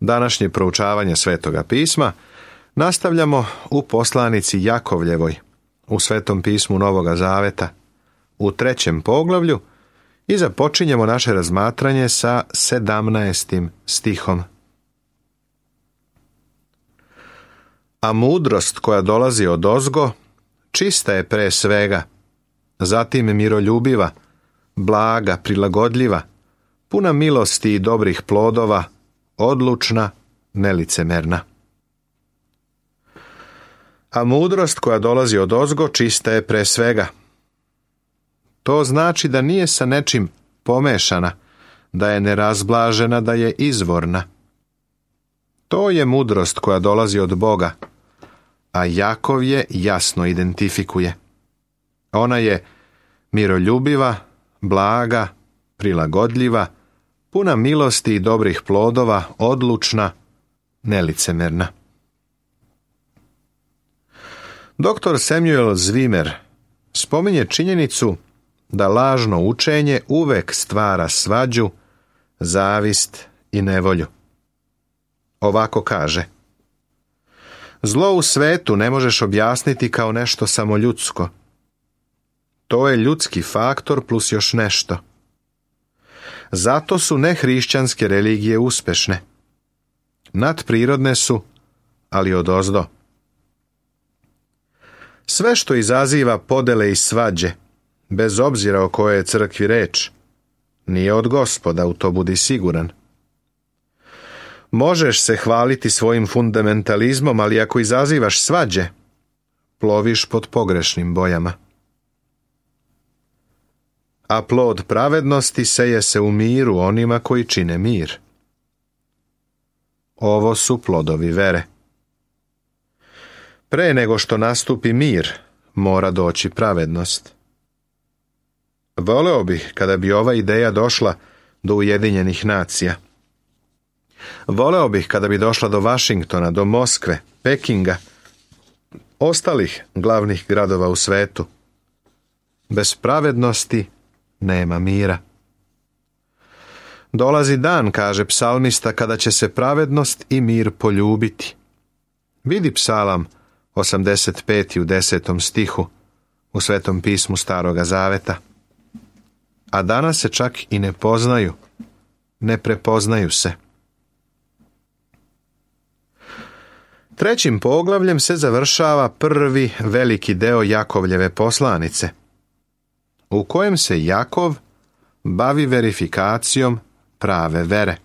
Današnje proučavanje Svetoga pisma nastavljamo u poslanici Jakovljevoj, u Svetom pismu Novoga Zaveta, u 3. poglavlju i započinjemo naše razmatranje sa 17. stihom. A mudrost koja dolazi odozgo, čista je pre svega, zatim miroljubiva, blaga, prilagodljiva, puna milosti i dobrih plodova, odlučna, nelicemerna. A mudrost koja dolazi odozgo, čista je pre svega. To znači da nije sa nečim pomešana, da je nerazblažena, da je izvorna. To je mudrost koja dolazi od Boga, a Jakov je jasno identifikuje. Ona je miroljubiva, blaga, prilagodljiva, puna milosti i dobrih plodova, odlučna, nelicemerna. Dr. Samuel Zwemer spominje činjenicu da lažno učenje uvek stvara svađu, zavist i nevolju. Ovako kaže: zlo u svetu ne možeš objasniti kao nešto samo ljudsko. To je ljudski faktor plus još nešto. Zato su nehrišćanske religije uspešne. Nadprirodne su, ali odozdo. Sve što izaziva podele i svađe, bez obzira o kojoj je crkvi reč, nije od Gospoda, u to budi siguran. Možeš se hvaliti svojim fundamentalizmom, ali ako izazivaš svađe, ploviš pod pogrešnim bojama. A plod pravednosti seje se u miru onima koji čine mir. Ovo su plodovi vere. Pre nego što nastupi mir, mora doći pravednost. Voleo bih kada bi ova ideja došla do Ujedinjenih nacija. Voleo bih kada bi došla do Vašingtona, do Moskve, Pekinga, ostalih glavnih gradova u svetu. Bez pravednosti nema mira. Dolazi dan, kaže psalmista, kada će se pravednost i mir poljubiti. Vidi Psalam 85. u 10. stihu u Svetom pismu Staroga Zaveta. A danas se čak i ne poznaju, ne prepoznaju se. 3. poglavljem se završava prvi veliki deo Jakovljeve poslanice, u kojem se Jakov bavi verifikacijom prave vere.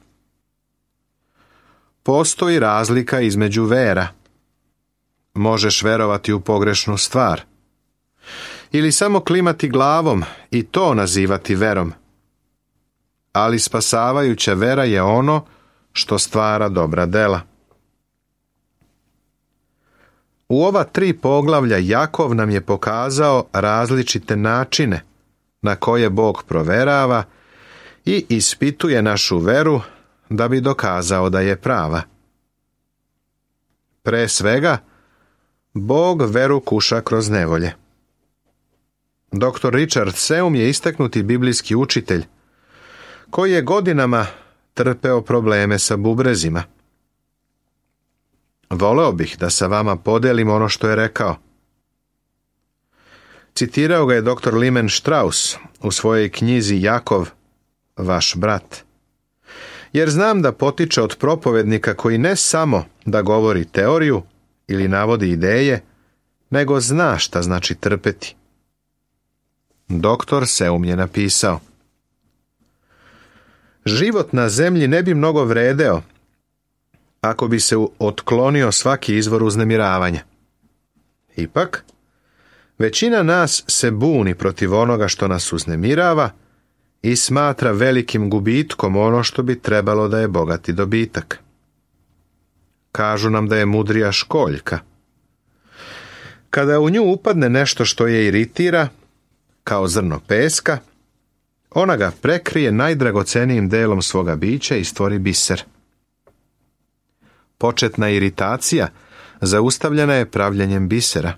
Postoji razlika između vera. Možeš verovati u pogrešnu stvar, ili samo klimati glavom i to nazivati verom. Ali spasavajuća vera je ono što stvara dobra dela. U ova 3 poglavlja Jakov nam je pokazao različite načine na koje Bog proverava i ispituje našu veru da bi dokazao da je prava. Pre svega, Bog veru kuša kroz nevolje. Dr. Richard Seum je istaknuti biblijski učitelj koji je godinama trpeo probleme sa bubrezima. Voleo bih da sa vama podelim ono što je rekao. Citirao ga je dr. Lyman Strauss u svojoj knjizi Jakov, vaš brat. Jer znam da potiče od propovednika koji ne samo da govori teoriju ili navodi ideje, nego zna šta znači trpeti. Doktor Seum je napisao: život na zemlji ne bi mnogo vredeo ako bi se otklonio svaki izvor uznemiravanja. Ipak, većina nas se buni protiv onoga što nas uznemirava i smatra velikim gubitkom ono što bi trebalo da je bogati dobitak. Kažu nam da je mudrija školjka. Kada u nju upadne nešto što je iritira, kao zrno peska, ona ga prekrije najdragocenijim delom svoga bića i stvori biser. Početna iritacija zaustavljena je pravljenjem bisera.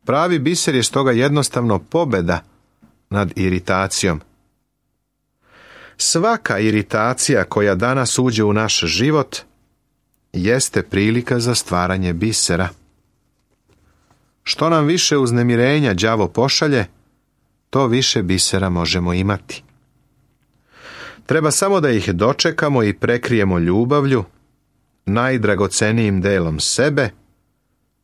Pravi biser je stoga jednostavno pobeda nad iritacijom. Svaka iritacija koja danas uđe u naš život jeste prilika za stvaranje bisera. Što nam više uznemirenja đavo pošalje, to više bisera možemo imati. Treba samo da ih dočekamo i prekrijemo ljubavlju, najdragocenijim delom sebe,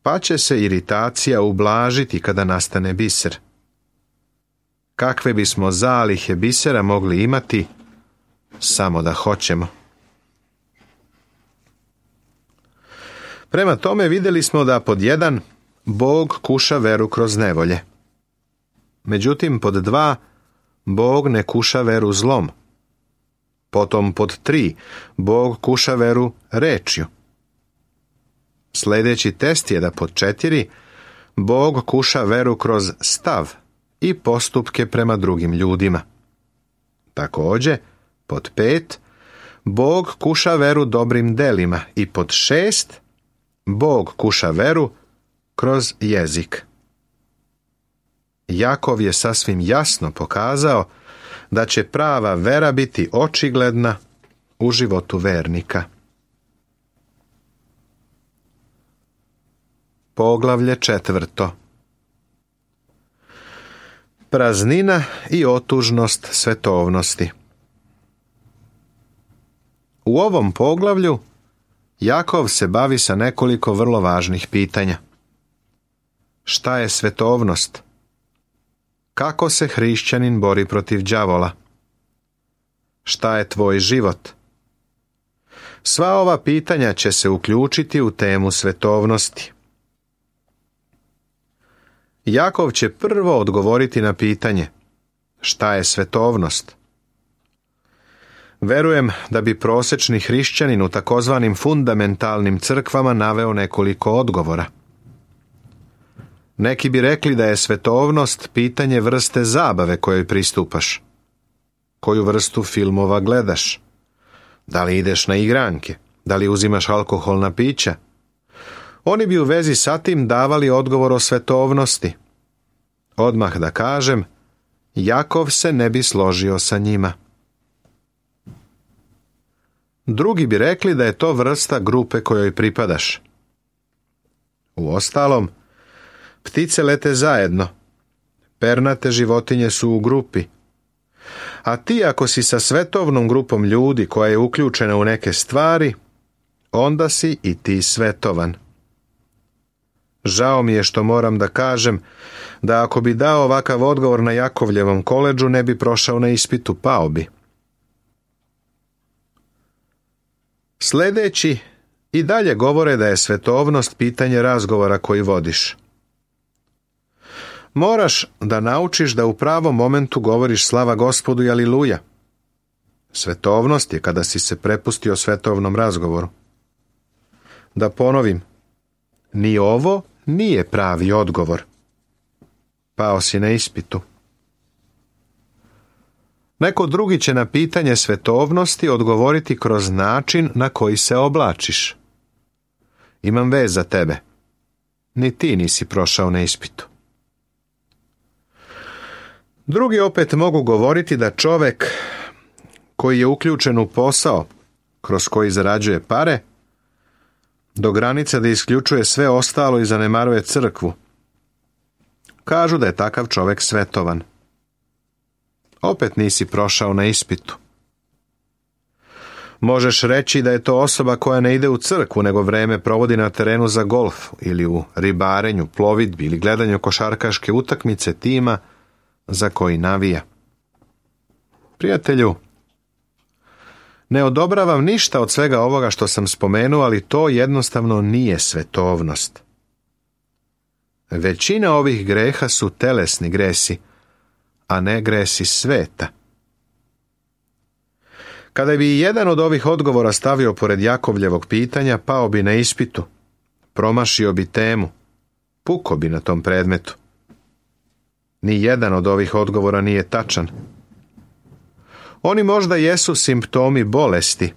pa će se iritacija ublažiti kada nastane biser. Kakve bismo zalihe bisera mogli imati, samo da hoćemo. Prema tome vidjeli smo da pod 1 Bog kuša veru kroz nevolje. Međutim, pod 2 Bog ne kuša veru zlom. Potom pod 3 Bog kuša veru rečju. Sljedeći test je da pod 4 Bog kuša veru kroz stav i postupke prema drugim ljudima. Također, pod 5 Bog kuša veru dobrim delima i pod 6 Bog kuša veru kroz jezik. Jakov je sasvim jasno pokazao da će prava vera biti očigledna u životu vernika. Poglavlje 4. Praznina i otužnost svetovnosti. U ovom poglavlju Jakov se bavi sa nekoliko vrlo važnih pitanja. Šta je svetovnost? Kako se hrišćanin bori protiv đavola? Šta je tvoj život? Sva ova pitanja će se uključiti u temu svetovnosti. Jakov će prvo odgovoriti na pitanje šta je svetovnost. Verujem da bi prosječni hrišćanin u takozvanim fundamentalnim crkvama naveo nekoliko odgovora. Neki bi rekli da je svetovnost pitanje vrste zabave kojoj pristupaš. Koju vrstu filmova gledaš? Da li ideš na igranke? Da li uzimaš alkoholna pića? Oni bi u vezi sa tim davali odgovor o svetovnosti. Odmah da kažem, Jakov se ne bi složio sa njima. Drugi bi rekli da je to vrsta grupe kojoj pripadaš. Uostalom, ptice lete zajedno, pernate životinje su u grupi, a ti ako si sa svetovnom grupom ljudi koja je uključena u neke stvari, onda si i ti svetovan. Žao mi je što moram da kažem da ako bi dao ovakav odgovor na Jakovljevom koledžu ne bi prošao na ispitu, pao bi. Sljedeći i dalje govore da je svetovnost pitanje razgovora koji vodiš. Moraš da naučiš da u pravom momentu govoriš slava Gospodu i aliluja. Svetovnost je kada si se prepustio svetovnom razgovoru. Da ponovim, ni ovo nije pravi odgovor. Pao si na ispitu. Neko drugi će na pitanje svetovnosti odgovoriti kroz način na koji se oblačiš. Imam vez za tebe. Ni ti nisi prošao na ispitu. Drugi opet mogu govoriti da čovjek koji je uključen u posao kroz koji zarađuje pare, do granice da isključuje sve ostalo i zanemaruje crkvu. Kažu da je takav čovjek svetovan. Opet nisi prošao na ispitu. Možeš reći da je to osoba koja ne ide u crkvu, nego vreme provodi na terenu za golf ili u ribarenju, plovidbi ili gledanju košarkaške utakmice tima za koji navija. Prijatelju, ne odobravam ništa od svega ovoga što sam spomenuo, ali to jednostavno nije svetovnost. Većina ovih greha su telesni gresi, a ne gresi sveta. Kada bi jedan od ovih odgovora stavio pored Jakovljevog pitanja, pao bi na ispitu, promašio bi temu, puko bi na tom predmetu. Ni jedan od ovih odgovora nije tačan. Oni možda jesu simptomi bolesti,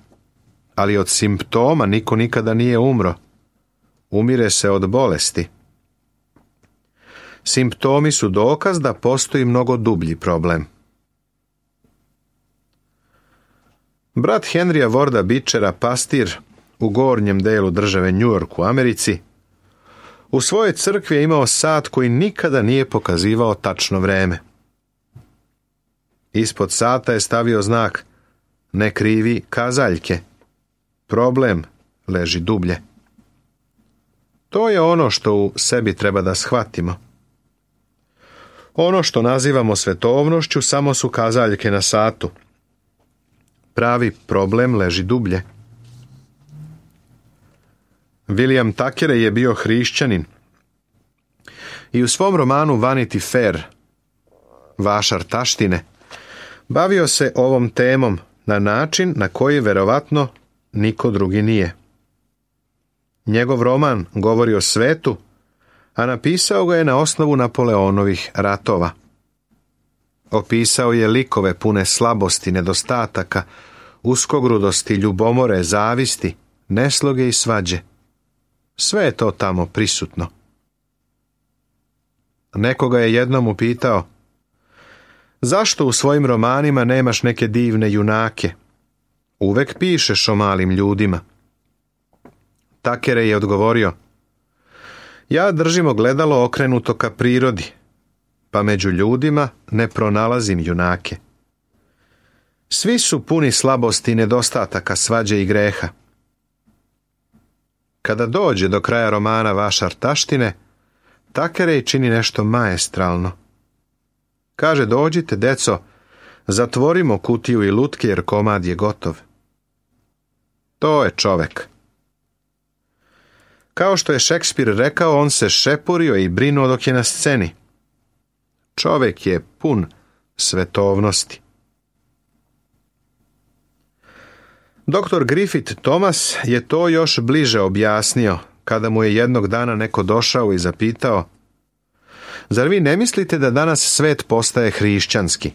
ali od simptoma niko nikada nije umro. Umire se od bolesti. Simptomi su dokaz da postoji mnogo dublji problem. Brat Henrya Warda Beechera, pastir u gornjem delu države New York u Americi, u svojoj crkvi je imao sat koji nikada nije pokazivao tačno vreme. Ispod sata je stavio znak "Ne krivi kazaljke. Problem leži dublje." To je ono što u sebi treba da shvatimo. Ono što nazivamo svetovnošću samo su kazaljke na satu. Pravi problem leži dublje. William Thackeray je bio hrišćanin i u svom romanu Vanity Fair, Vašar taštine, bavio se ovom temom na način na koji verovatno niko drugi nije. Njegov roman govori o svetu, a napisao ga je na osnovu Napoleonovih ratova. Opisao je likove pune slabosti, nedostataka, uskogrudosti, ljubomore, zavisti, nesloge i svađe. Sve je to tamo prisutno. Nekoga je jednom upitao: "Zašto u svojim romanima nemaš neke divne junake? Uvek pišeš o malim ljudima." Thackeray je odgovorio: "Ja držim ogledalo okrenuto ka prirodi, pa među ljudima ne pronalazim junake. Svi su puni slabosti i nedostataka, svađe i greha." Kada dođe do kraja romana Vašar taštine, Thackeray čini nešto maestralno. Kaže: "Dođite, deco, zatvorimo kutiju i lutke jer komad je gotov." To je čovek. Kao što je Šekspir rekao, on se šepurio i brinuo dok je na sceni. Čovek je pun svetovnosti. Dr. Griffith Thomas je to još bliže objasnio kada mu je jednog dana neko došao i zapitao: "Zar vi ne mislite da danas svet postaje hrišćanski?"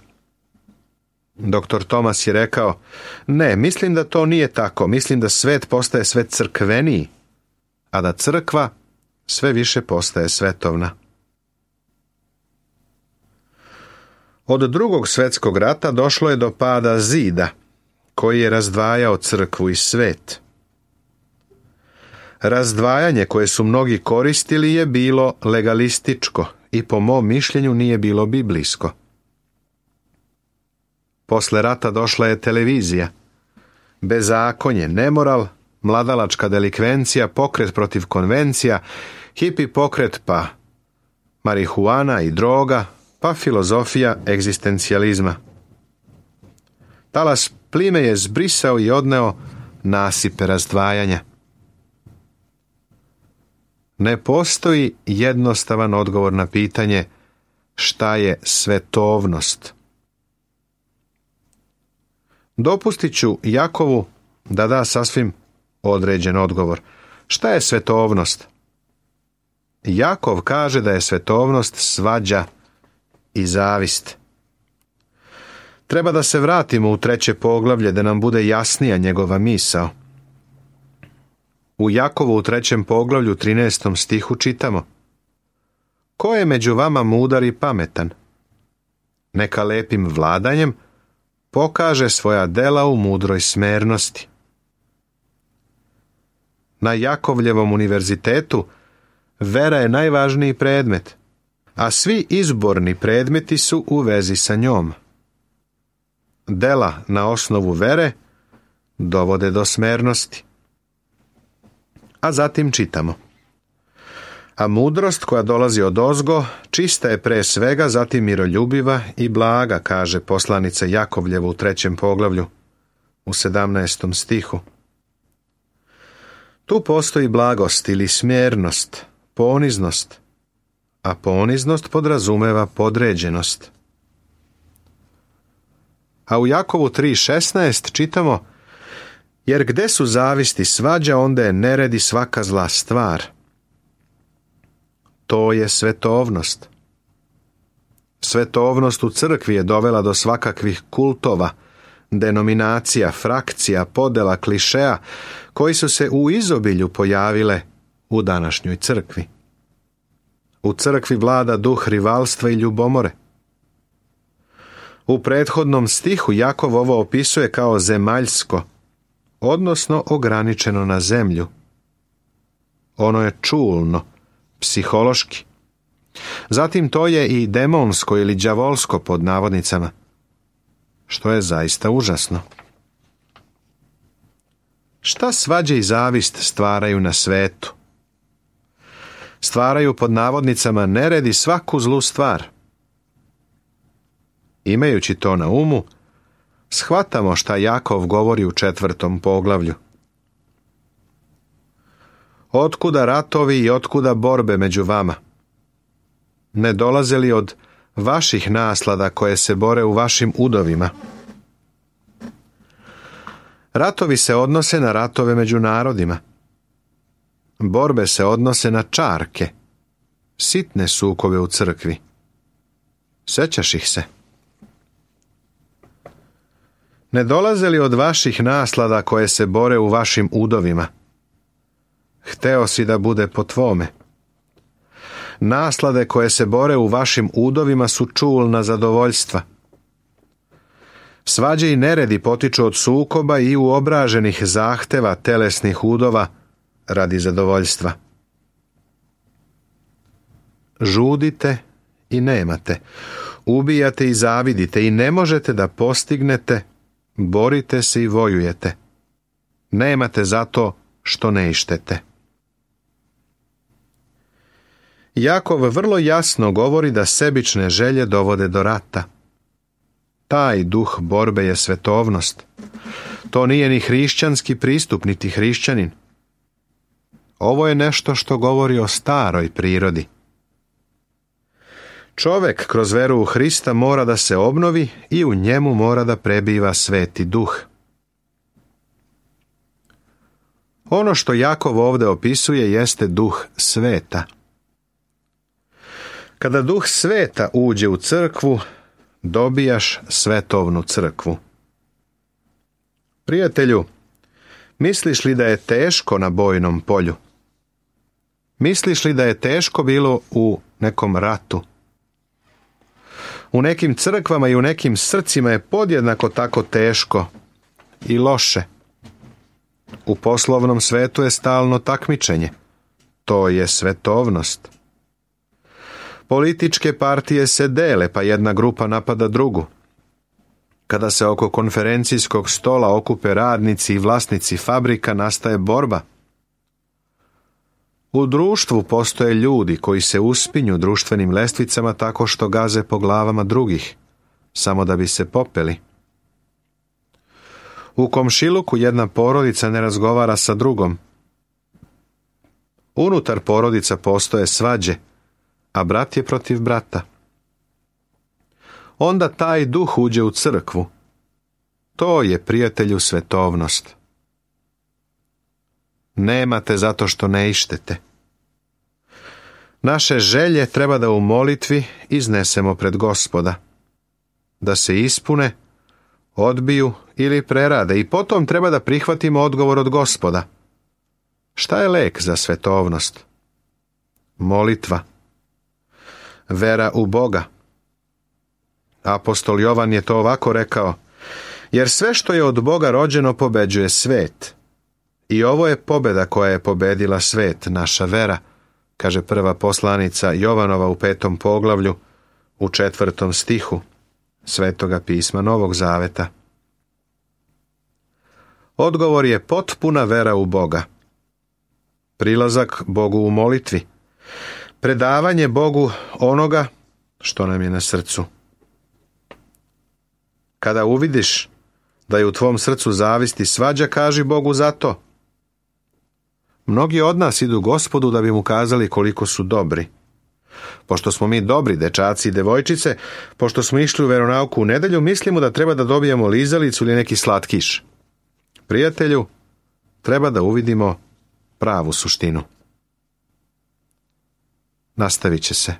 Dr. Thomas je rekao: "Ne, mislim da to nije tako. Mislim da svet postaje sve crkveniji, a da crkva sve više postaje svetovna." Od Drugog svjetskog rata došlo je do pada zida koji je razdvajao crkvu i svet. Razdvajanje koje su mnogi koristili je bilo legalističko i po mom mišljenju nije bilo biblijsko. Posle rata došla je televizija, bezakonje, nemoral, mladalačka delikvencija, pokret protiv konvencija, hipi pokret, pa marihuana i droga, pa filozofija egzistencijalizma. Talas plime je zbrisao i odneo nasipe razdvajanja. Ne postoji jednostavan odgovor na pitanje šta je svetovnost. Dopustit ću Jakovu da da sasvim određen odgovor. Šta je svetovnost? Jakov kaže da je svetovnost svađa i zavist. Treba da se vratimo u 3. poglavlje da nam bude jasnija njegova misao. U Jakovu u 3. poglavlju 13. stihu čitamo: "Ko je među vama mudar i pametan? Neka lepim vladanjem pokaže svoja dela u mudroj smernosti." Na Jakovljevom univerzitetu vera je najvažniji predmet, a svi izborni predmeti su u vezi sa njom. Dela na osnovu vere dovode do smernosti. A zatim čitamo: "A mudrost koja dolazi odozgo čista je pre svega, zatim miroljubiva i blaga", kaže poslanica Jakovljevu u 3. poglavlju u 17. stihu. Tu postoji blagost ili smjernost, poniznost, a poniznost podrazumeva podređenost. A u Jakovu 3.16 čitamo: "Jer gde su zavisti svađa, onda je nered i svaka zla stvar." To je svetovnost. Svetovnost u crkvi je dovela do svakakvih kultova, denominacija, frakcija, podela, klišeja, koji su se u izobilju pojavile u današnjoj crkvi. U crkvi vlada duh rivalstva i ljubomore. U prethodnom stihu Jakov ovo opisuje kao zemaljsko, odnosno ograničeno na zemlju. Ono je čulno, psihološki. Zatim to je i demonsko ili đavolsko pod navodnicama, što je zaista užasno. Šta svađe i zavist stvaraju na svetu? Stvaraju pod navodnicama nered i svaku zlu stvar. Imajući to na umu, shvatamo šta Jakov govori u 4. poglavlju. Otkuda ratovi i otkuda borbe među vama? Ne dolaze li od vaših naslada koje se bore u vašim udovima? Ratovi se odnose na ratove među narodima. Borbe se odnose na čarke, sitne sukobe u crkvi. Sećaš ih se? Ne dolaze li od vaših naslada koje se bore u vašim udovima? Hteo si da bude po tvome. Naslade koje se bore u vašim udovima su čulna zadovoljstva. Svađe i neredi potiču od sukoba i uobraženih zahteva telesnih udova radi zadovoljstva. Žudite i nemate, ubijate i zavidite i ne možete da postignete, borite se i vojujete. Nemate zato što ne ištete. Jakov vrlo jasno govori da sebične želje dovode do rata. Taj duh borbe je svetovnost. To nije ni hrišćanski pristup, niti hrišćanin. Ovo je nešto što govori o staroj prirodi. Čovek kroz veru u Hrista mora da se obnovi i u njemu mora da prebiva sveti duh. Ono što Jakov ovdje opisuje jeste duh sveta. Kada duh sveta uđe u crkvu, dobijaš svetovnu crkvu. Prijatelju, misliš li da je teško na bojnom polju? Misliš li da je teško bilo u nekom ratu? U nekim crkvama i u nekim srcima je podjednako tako teško i loše. U poslovnom svetu je stalno takmičenje. To je svetovnost. Političke partije se dele, pa jedna grupa napada drugu. Kada se oko konferencijskog stola okupe radnici i vlasnici fabrika, nastaje borba. U društvu postoje ljudi koji se uspinju društvenim lestvicama tako što gaze po glavama drugih, samo da bi se popeli. U komšiluku jedna porodica ne razgovara sa drugom. Unutar porodica postoje svađe, a brat je protiv brata. Onda taj duh uđe u crkvu. To je, prijatelju, svetovnost. Nemate zato što ne ištete. Naše želje treba da u molitvi iznesemo pred Gospoda. Da se ispune, odbiju ili prerade i potom treba da prihvatimo odgovor od Gospoda. Šta je lek za svetovnost? Molitva. Vera u Boga. Apostol Jovan je to ovako rekao: jer sve što je od Boga rođeno pobeđuje svet. I ovo je pobjeda koja je pobedila svet, naša vera, kaže prva poslanica Jovanova u 5. poglavlju, u 4. stihu Svetoga pisma Novog Zaveta. Odgovor je potpuna vera u Boga. Prilazak Bogu u molitvi. Predavanje Bogu onoga što nam je na srcu. Kada uvidiš da je u tvom srcu zavist i svađa, kaži Bogu za to. Mnogi od nas idu Gospodu da bi mu kazali koliko su dobri. Pošto smo mi dobri dečaci i devojčice, pošto smo išli u veronauku u nedelju, mislimo da treba da dobijemo lizalicu ili neki slatkiš. Prijatelju, treba da uvidimo pravu suštinu. Nastavit će se.